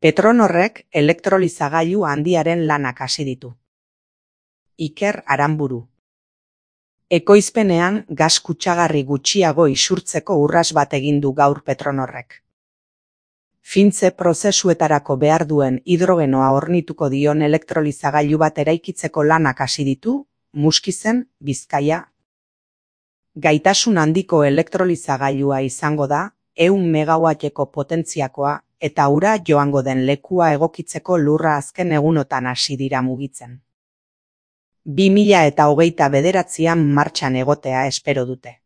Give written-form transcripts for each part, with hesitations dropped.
Petronorrek elektrolizagailu handiaren lanak hasi ditu. Iker Aranburu. Ekoizpenean gas kutsagarri gutxiago isurtzeko urrats bat egin du gaur Petronorrek. Fintze prozesuetarako behar duen hidrogenoa hornituko dion elektrolizagailu bat eraikitzeko lanak hasi ditu, Muskizen, Bizkaia. Gaitasun handiko elektrolizagailua izango da, 100 megawatteko potentziakoa eta ura joango den lekua egokitzeko lurra azken egunotan hasi dira mugitzen. 2029an martxan egotea espero dute.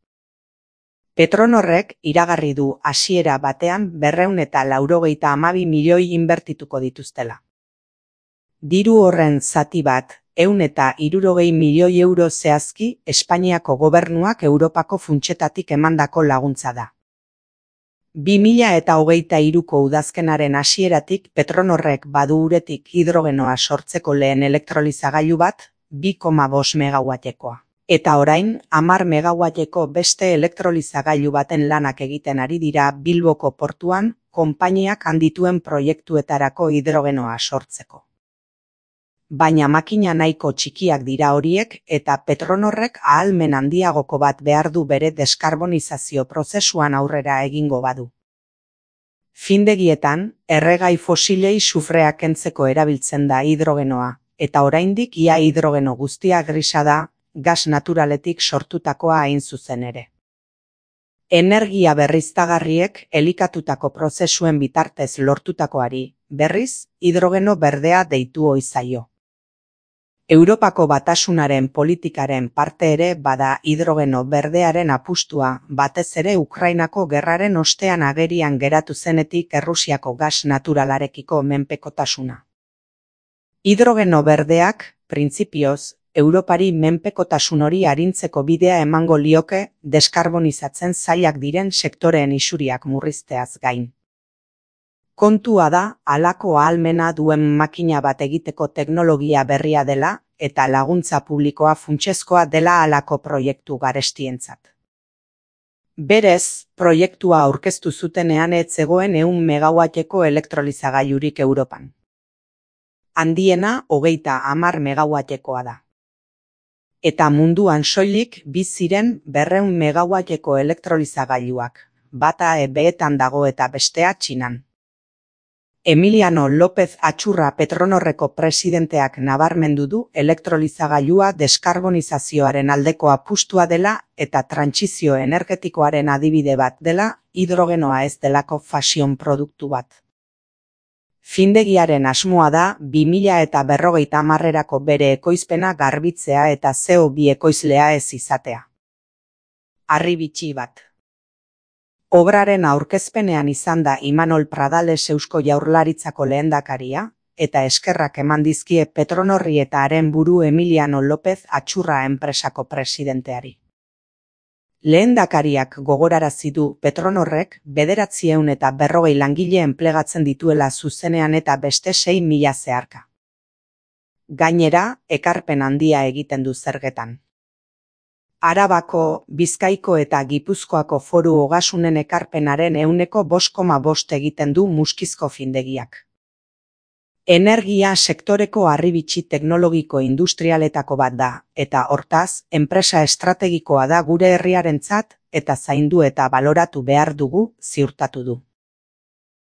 Petronorrek iragarri du hasiera batean 292 milioi inbertituko dituztela. Diru horren zati bat, 160 milioi euro zehazki Espainiako gobernuak Europako funtsetatik emandako laguntza da. 2023ko udazkenaren hasieratik Petronorrek badu uretik hidrogenoa sortzeko lehen elektrolizagailu bat, 2,5 megawattekoa. Eta orain, 10 megawatteko beste elektrolizagailu baten lanak egiten ari dira Bilboko portuan, konpainiak handituen proiektuetarako hidrogenoa sortzeko. Baina makina nahiko txikiak dira horiek eta Petronorrek ahalmen handiagoko bat behar du bere deskarbonizazio prozesuan aurrera egingo badu. Findegietan, erregai fosilei sufrea kentzeko erabiltzen da hidrogenoa, eta oraindik ia hidrogeno guztia grisa da, gas naturaletik sortutakoa hain zuzen ere. Energia berriztagarriek elikatutako prozesuen bitartez lortutakoari, berriz, hidrogeno berdea deitu ohi zaio. Europako Batasunaren politikaren parte ere bada hidrogeno berdearen apustua, batez ere Ukrainako gerraren ostean agerian geratu zenetik Errusiako gas naturalarekiko menpekotasuna. Hidrogeno berdeak, printzipioz, Europari menpekotasun hori arintzeko bidea emango lioke deskarbonizatzen zailak diren sektoreen isuriak murrizteaz gain. Kontua da, halako ahalmena duen makina bat egiteko teknologia berria dela eta laguntza publikoa funtsezkoa dela halako proiektu garestientzat. Berez, proiektua aurkeztu zutenean ez zegoen 100 megawatteko elektrolizagailurik Europan. Handiena 30 megawattekoa da. Eta munduan soilik ziren 200 megawatteko elektrolizagailuak, bata EBEetan dago eta bestea Txinan. Emiliano López Atxurra Petronorreko presidenteak nabarmendu du elektrolizagailua deskarbonizazioaren aldeko apustua dela eta trantsizio energetikoaren adibide bat dela, hidrogenoa ez delako fashion produktu bat. Findegiaren asmoa da 2050erako bere ekoizpena garbitzea eta CO2 ekoizlea ez izatea. Harri bitxi bat. Obraren aurkezpenean izan da Imanol Pradales Eusko Jaurlaritzako lehendakaria, eta eskerrak eman dizkie Petronorri eta haren buru Emiliano López Atxurra enpresako presidenteari. Lehendakariak gogorarazi du Petronorrek 940 langile enplegatzen dituela zuzenean eta beste 6.000 zeharka. Gainera, ekarpen handia egiten du zergetan. Arabako, Bizkaiko eta Gipuzkoako foru ogasunen ekarpenaren 5,5% egiten du Muskizko findegiak. Energia sektoreko harribitxi teknologiko industrialetako bat da, eta hortaz, enpresa estrategikoa da gure herriarentzat eta zaindu eta baloratu behar dugu ziurtatu du.